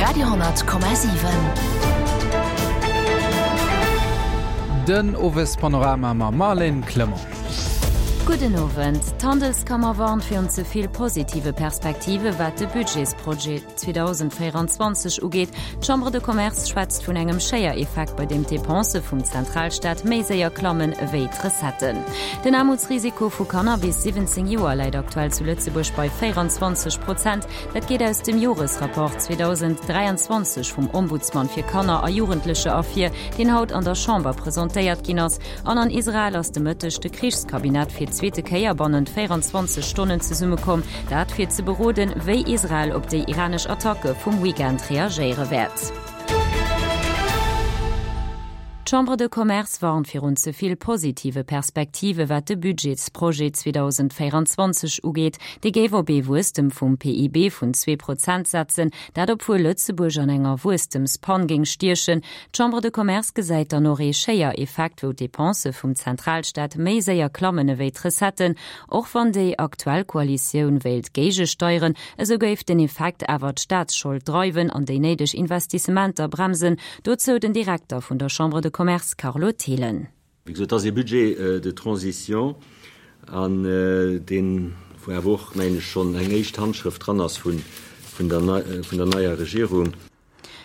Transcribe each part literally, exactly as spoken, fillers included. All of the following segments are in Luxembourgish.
Radio honnert Komma siwen. Den Owespanorama mam Marlène Clement. Gudden Owend. D'Handelskammer warnt virun ze vill positive Perspektive wat de Budgetsprojet zweedausendvéierenzwanzeg ugeet. D'Chambre de Commerce schwätzt vun engem Schéiereffekt, bei deem d'Depensë vum Zentralstaat méi séier klammen ewéi d'Recetten. Den Aarmutsrisiko vu Kanner bis siwwenzéng Joer läit aktuell zu Lëtzebuerg bei véierenzwanzeg Prozent. Dat geet aus dem Joresrapport zweedausend dräianzwanzeg vum Ombudsman fir Kanner a Jugendlecher ervir, deen haut an der Chamber presentéiert ginn ass. An an Israel ass de Mëtteg de Krichskabinett fir d'zweete Kéier bannent véierenzwanzeg Stonnen zesummekomm, dat fir ze beroden, wéi Israel op déi iranesch Attacke vum Weekend reagéiere wäert. D'Chambre de Commerce warnt virun ze vill positive Perspektive wat de Budgetsprojet zweedausendvéierenzwanzeg ugeet. Dee géif op ee Wuesstem vum P I B vun zwee Prozent setzen, dat obwuel Lëtzebuerg an enger Wuesstemspann géing stiechen. D'Chambre de Commerce gesäit dann och ee Schéiereffekt, wou d'Depensë vum Zentralstaat méi séier klammen ewéi d'Recetten. Och wann déi aktuell Koalitioun wéilt géigesteieren, esou géif den Effekt awer d'Staatsschold dreiwen an déi néideg Investissementer bremsen. Dozou den Direkter vun der Chambre de Commerce Carlo Thelen. Wéi gesot, dat ass ee Budget de transition an deen, wou awer och, mengen ech, schonn eng éischt Handschrëft dran ass vun der neier Regierung.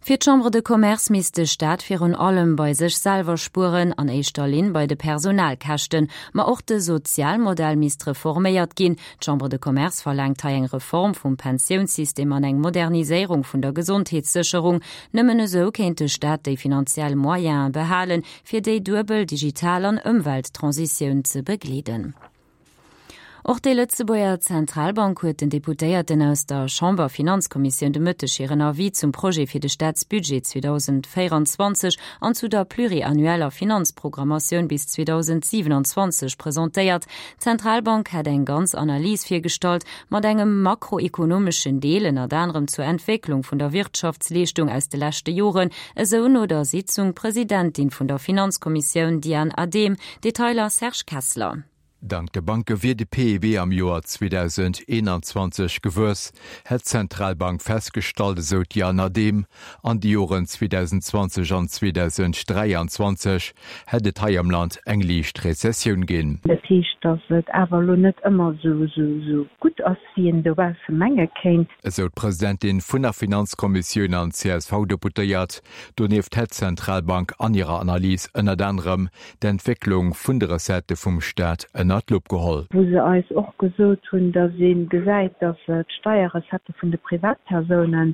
Fir d'Chambre de Commerce misst de Staat virun allem bei sech selwer spueren, an éischter Linn bei de Personalkäschten. Ma och de Sozialmodell misst reforméiert ginn. D'Chambre de Commerce verlaangt hei eng Reform vum Pensiounssystem an eng Moderniséierung vun der Gesondheetssécherung. Nëmmen esou kéint de Staat déi finanziell Moyene behalen, fir déi duebel Digital an Ëmwelttransitioun ze begleeden. Och déi Lëtzebuerger Zentralbank huet den Deputéierten aus der Chamberfinanzkommissioun de Mëtteg hiren Avis zum Projet fir de Staatsbudget zweedausendvéierenzwanzeg an zu der pluriannueller Finanzprogrammatioun bis zweedausendsiwenanzwanzeg presentéiert. D'Zentralbank hätt eng ganz Analys virgestallt mat engem makroekonomeschen Deel, ënnert anerem zur Entwécklung vun der Wirtschaftsleeschtung aus de leschte Joren, esou no der Sitzung d'Presidentin vun der Finanzkommissioun Diane Adehm. Detailer Serge Kessler. Dank de Banke wier de P I B am Joer zweedausendeenanzwanzeg gewuess, hätt d'Zentralbank festgestallt, esou d'Diane Adehm. An de Joren zweedausendzwanzeg an zweedausendräianzwanzeg hätt et hei am Land eng liicht Rezessioun ginn. Dat heescht, datt et awer elo net ëmmer esou gutt ass, wéi een dobausse menge kéint. Esou d'Presidentin vun der Finanzkommissioun an C S V-Deputéiert. Donieft hätt d'Zentralbank an hirer Analys ënnert anerem d'Entwécklung vun de Recettë vum Staat ënnert d'Lupp geholl. Wou se eis och gesot hunn, datt ee gesäit, datt d'Steierrecettë vun de Privatpersounen,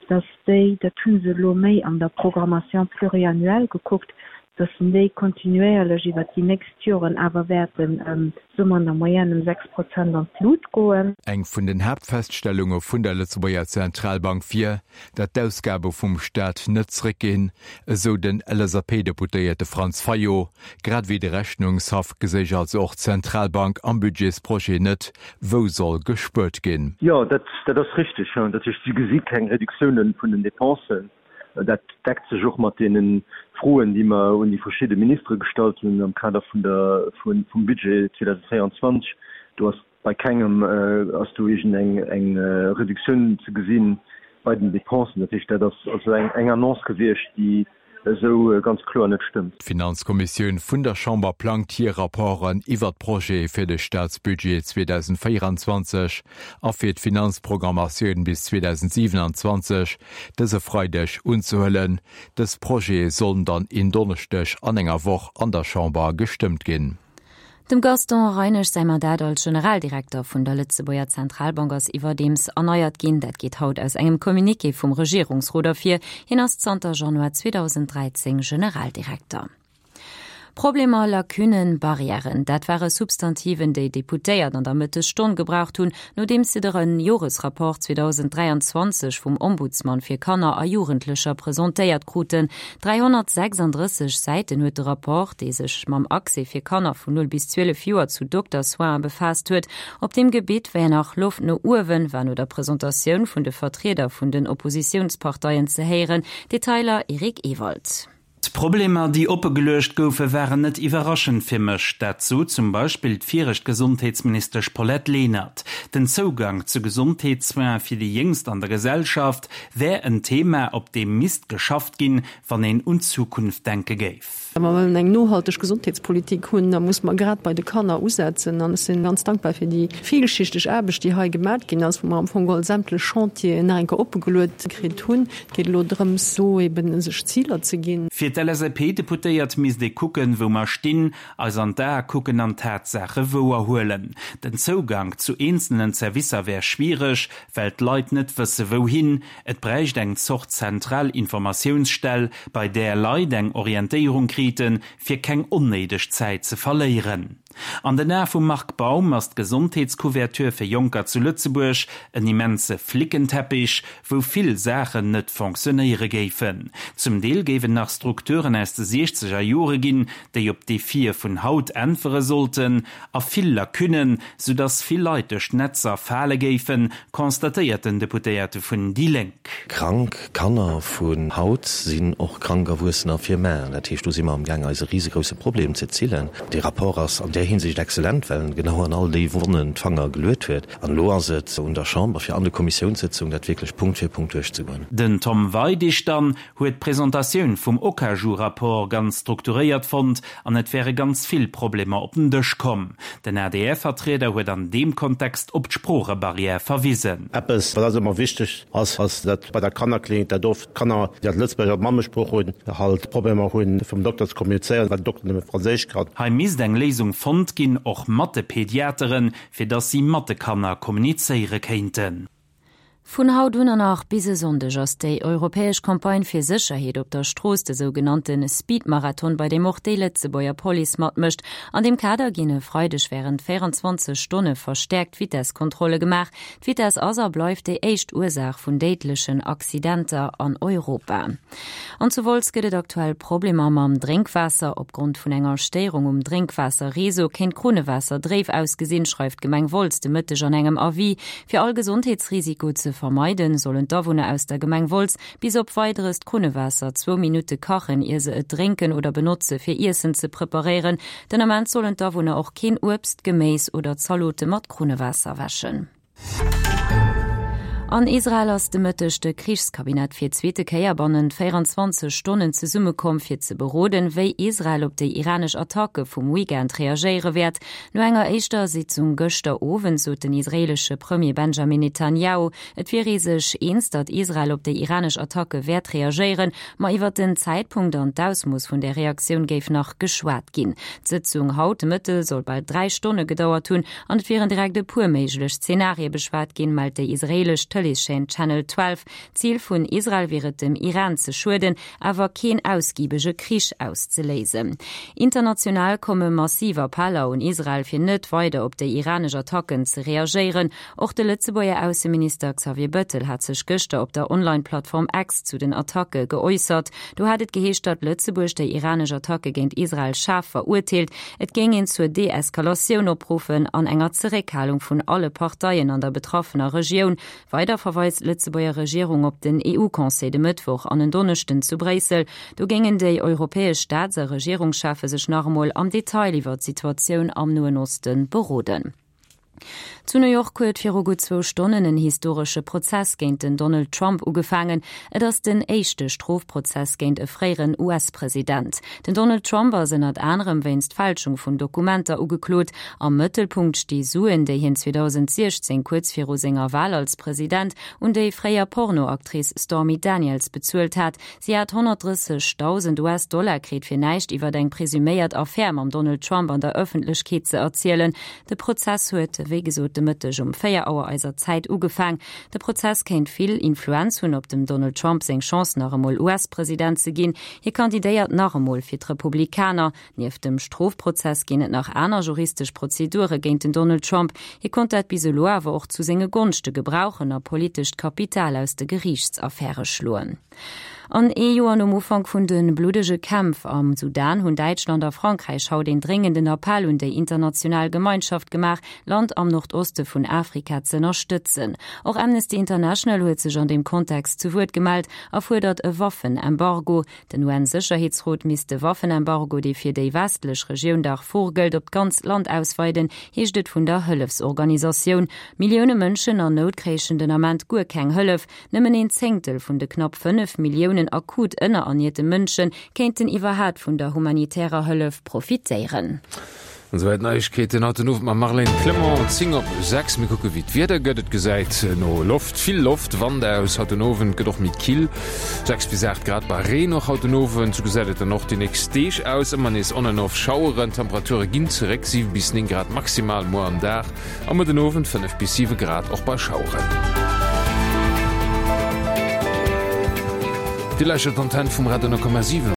datt déi, dat hu se elo méi an der Programmation pluriannuelle gekuckt, datt déi kontinuéierlech iwwert déi nächst Joren awer wäerten, soe mer an der Moyenne, ëm sechs Prozent an d'Lut goen. Eng vun den Haaptfeststellunge vun der Lëtzebuerger Zentralbank wier, datt d'Ausgabe vum Staat net zréckginn, esou den L S A P-Deputéierte Franz Fayot. Grad ewéi de Rechnungshaff geséich also och d'Zentralbank am Budgetsprojet net, wou soll gespuert ginn. Jo, dat ass richteg. Dat heescht, si gesi keng Reduktioune vun den Depensen. Dat deckt sech och mat deene Froen, déi mer un déi verschidde Ministere gestallt hunn am Kader vun der, vum Budget zweedausendvéierenzwanzeg. Do ass bei kengem ass do iergend eng eng Reduktioun ze gesi bei den Depensen. Dat heescht, dat ass also eng eng Annonce gewiescht, déi esou ganz kloer net stëmmt. D'Finanzkommissioun vun der Chamber plangt hir Rapporten iwwert d'Projete fir de Staatsbudget zweedausendvéierenzwanzeg a fir d'Finanzprogrammatioun bis zweedausendsiwenanzwanzeg dëse Freideg unzehuelen. Dës Projete sollen dann en Donneschdeg an enger Woch an der Chamber gestëmmt ginn. Dem Gaston Reinesch säi Mandat als Generaldirekter vun der Lëtzebuerger Zentralbank ass iwwerdeems erneiert ginn. Dat geet haut aus engem Communiqué vum Regierungsrot ervir. Hien ass zanter Januar zweedausendräizéng Generaldirekter. Problemer, Lacunnen, Barrièren, dat ware Substantiven, déi Deputéiert an der Mëttesstonn gebraucht hunn, nodeems se de Joresrapport zweedausendräianzwanzeg vum Ombudsman fir Kanner a Jugendlecher presentéiert kruten. dräihonnertsechsanddrësseg Säiten huet de Rapport, dee sech mam Accès fir Kanner vun null bis zwielef Joer zu Doktersoine befaasst huet. Op deem Gebitt wär nach Loft no uewen, war no der Presentatioun vun de Vertrieder vun den Oppositiounsparteien ze héieren. Detailer Eric Ewald. D'Problemer, déi oppegeluecht goufe waren net iwwerraschend fir mech. Dat sot zum Beispill d'viregt Gesondheetsministesch Paulette Lenert. Den Zougang zu Gesondheetssoine fir déi Jéngst an der Gesellschaft wär en Thema, op deem misst geschafft ginn, wann een un d'Zukunft denke géif. Wa mer wëllen eng nohalteg Gesondheetspolitik hunn, da muss mer grad bei de Kanner usetzen. An ech si ganz dankbar fir déi villschichteg Aarbecht, déi hei gemat ginn ass, wou mer am Fong geholl sämtlech Chantieren nach eng Kéier oppegeluet kritt hunn. Et geet elo drëms, do eben sech Ziler ze ginn. Fir d'LSAP-Deputéiert misst ee kucken, wou mer stinn, eis an d'Ae kucken an d'Tatsaache wouerhuelen. Den Zougank zu eenzelnen Servicer wär schwiereg, well d'Leit net wësse wouhin. Et bräicht eng Zort zentral Informatiounsstell, bei där Leit eng Orientéierung kriten, fir keng onnéideg Zäit ze verléieren. An den Ae vum Marc Baum ass d'Gesondheetscouverture fir Jonker zu Lëtzebuerg en immense Flickenteppich, wou vill Saachen net fonctionnéiere géifen. Zum Deel géif et nach Strukturen aus de siechzeger Jore ginn, déi op d'Defie vun haut äntwere sollten, a vill Lacunnen, soudass vill Leit duerch d'Netzer fale géifen, constatéiert den Deputéierte vun déi Lénk. Krank Kanner vun haut sinn och krank Erwuessener fir mar. Dat heescht, do si mer amgaang eis e risegrousse Problem ze zillen. Dee Rapport ass an där Hinsicht exzellent, well en genau an all déi Wonnen d'Fanger geluet huet. An elo ass et un der Chamber, fir an de Kommissiounssëtzungen dat wierklech Punkt fir Punkt duerchzegoen. Den Tom Weidig dann huet d'Presentatioun vum Okaju-Rapport ganz strukturéiert fonnt an et wäre ganz vill Problemer op den Dësch komm. Den A D R-Vertrieder huet an deem Kontext op d'Sproochebarrière verwisen. Eppes, wat eis ëmmer wichteg ass, ass dat bei der Kannerklinik, dat oft Kanner, déi halt Lëtzebuerger als Mammesprooch hunn, halt Problemer hunn, fir mam Dokter ze kommunizéieren, well den Dokter nëmme Franséisch kann. Hei misst eng Léisung fonnt ginn, och mat de Pediateren, fir dass si mat de Kanner kommunizéiere kéinten. Vun haut un an nach bis e Sonndeg ass déi europäesch Campagne fir Sécherheet op der Strooss, de sougenannte Speedmarathon, bei deem och déi Lëtzebuerger Police matmécht. An deem Kader ginn e Freideg wärend véierenzwanzeg Stonne verstäerkt Vitesskontrolle gemaach. D'Vitess ass a bleift déi éischt Ursaach vun déidlechen Accidenter an Europa. An zu Wolz gëtt et aktuell Problemer mam Drénkwaasser. Opgrond vun enger Stéierung um Drénkwaasserreseau kéint d'Krunnewaasser dréif ausgesinn, schreift d'Gemeng Wolz de Mëtteg an engem Avis. Fir all Gesondheetsrisiko ze vermeiden, sollen d'Awunner aus der Gemeng Wolz bis op Weideres d'Krunnewaasser zwou Minutte kachen, ier se et drénken oder benotze fir Iessen ze preparéieren. Den Ament sollen d'Awunner och keen Uebst, Geméis oder Zalote mat Krunnewaasser wäschen. An Israel ass de Mëtteg de Krichskabinett fir d'zweete Kéier bannent véierenzwanzeg Stonnen zesummekomm, fir ze beroden, wéi Israel op déi iranesch Attacke vum Weekend reagéiere wäert. No enger éischter Sitzung gëschter Owend sot den israeelesche Premier Benjamin Netanjahu, et wier ee sech eens, datt Israel op déi iranesch Attacke wäert reagéieren, ma iwwer den Zäitpunkt an d'Ausmooss vun der Reaktioun géif nach geschwat ginn. D'Sëtzung haut de Mëtte soll bal dräi Stonne gedauert hunn an et wieren direkt e puer méiglech Zenarie beschwat ginn, mellt déi israeelesch Tëleeschaîne Channel zwölf. Zil vun Israel wier et dem Iran ze schueden, awer keen ausgibege Krich auszeléisen. International komme massiv Appeller un Israel fir net weider op déi iranesch Attacken ze reagéieren. Och de Lëtzebuerger Ausseminister Xavier Bettel hat sech gëschter op der Online-Plattform X zu den Attacke geäussert. Do hat et geheescht, datt Lëtzebuerg déi iranesch Attacke géint Israel schaarf verurteelt. Et géing een zur Deeskalatioun opruffen an enger Zeréckhalung vun alle Parteien an der betraffener Regioun. Weider verweist d'Lëtzebuerger Regierung op den E U-Conseil de Mëttwoch an en Donneschden zu Bréissel. Do géingen déi europäesch Staats a Regierungscheffe sech nach emol am Detail iwwer d'Situatioun am Noen Osten beroden. Zu New York huet viru gutt zwou Stonnen en historesche Prozess géint den Donald Trump ugefaangen. Et ass den éischte Strofprozess géint e fréieren U S-President. Den Donald Trump ass ënnert anerem wéinst Fälschung vun Dokumenter ugeklot. Am Mëttelpunkt sti Suen, déi hien zweedausendsiechzéng kuerz viru senger Wal als President un déi fréier Pornoactrice Stormy Daniels bezuelt hat. Si hat honnertdrëssegdausend U S-Dollar kritt, fir näischt iwwer eng presuméiert Affär mam Donald Trump an der Ëffentlechkeet ze erzielen. De Prozess huet wéi gesot de Mëtteg um véier Auer eiser Zäit ugefaang. De Prozess kéint vill Influenz hunn op dem Donald Trump seng Chance nach emol U S-President ze ginn. Hie kandidéiert nach emol fir d'Republikaner. Nieft dem Strofprozess ginn et nach aner juristesch Prozedure géint den Donald Trump. Hie konnt dat bis elo awer och zu senge Gonschte gebrauchen a politescht Kapital aus de Geriichtsaffäre schloen. An ee Joer nom Ufank vun de bluddege Kämpf am Sudan hunn Däitschland a Frankräich haut een dréngenden Appell un déi international Gemeinschaft gemaach, d'Land am Nordoste vun Afrika z'ënnerstëtzen. Och Amnesty International huet sech an deem Kontext zu Wuert gemellt a fuerdert e Waffenembargo. Den UN-Sécherheetsrot misst de Waffenembargo, dee fir déi westlech Regioun Darfur gëllt, op d'ganzt Land ausweiden, heescht et vun der Hëllefsorganisatioun. Millioune Mënschen an Nout kréichen den Ament guer keng Hëllef. Nëmmen een Zéngtel vun de knapp fënnef Milliounen akut ënnerernierte Mënsche kéinten iwwerhaapt vun der humanitärer Hëllef profitéieren. An esouwäit d'Neiegkeeten haut den Owend mam Marlène Clement. Zéng op sechs. Mir kucke wéi d'Wieder gëtt. Et gesäit no Loft, vill Loft, Wand aus. Haut den Owend gëtt och méi kill, sechs bis aacht Grad bei Reen och haut den Owend. Sou gesäit et dann och déi nächst Deeg aus, ëmmer nees on an off Schaueren. D'Temperature ginn zeréck, siwe bis néng Grad maximal muer am Dag a muer den Owend fënnef bis siwe Grad och bei Schaueren. Dir lauschtert d'Antenn vum Radio nol Komma siwen.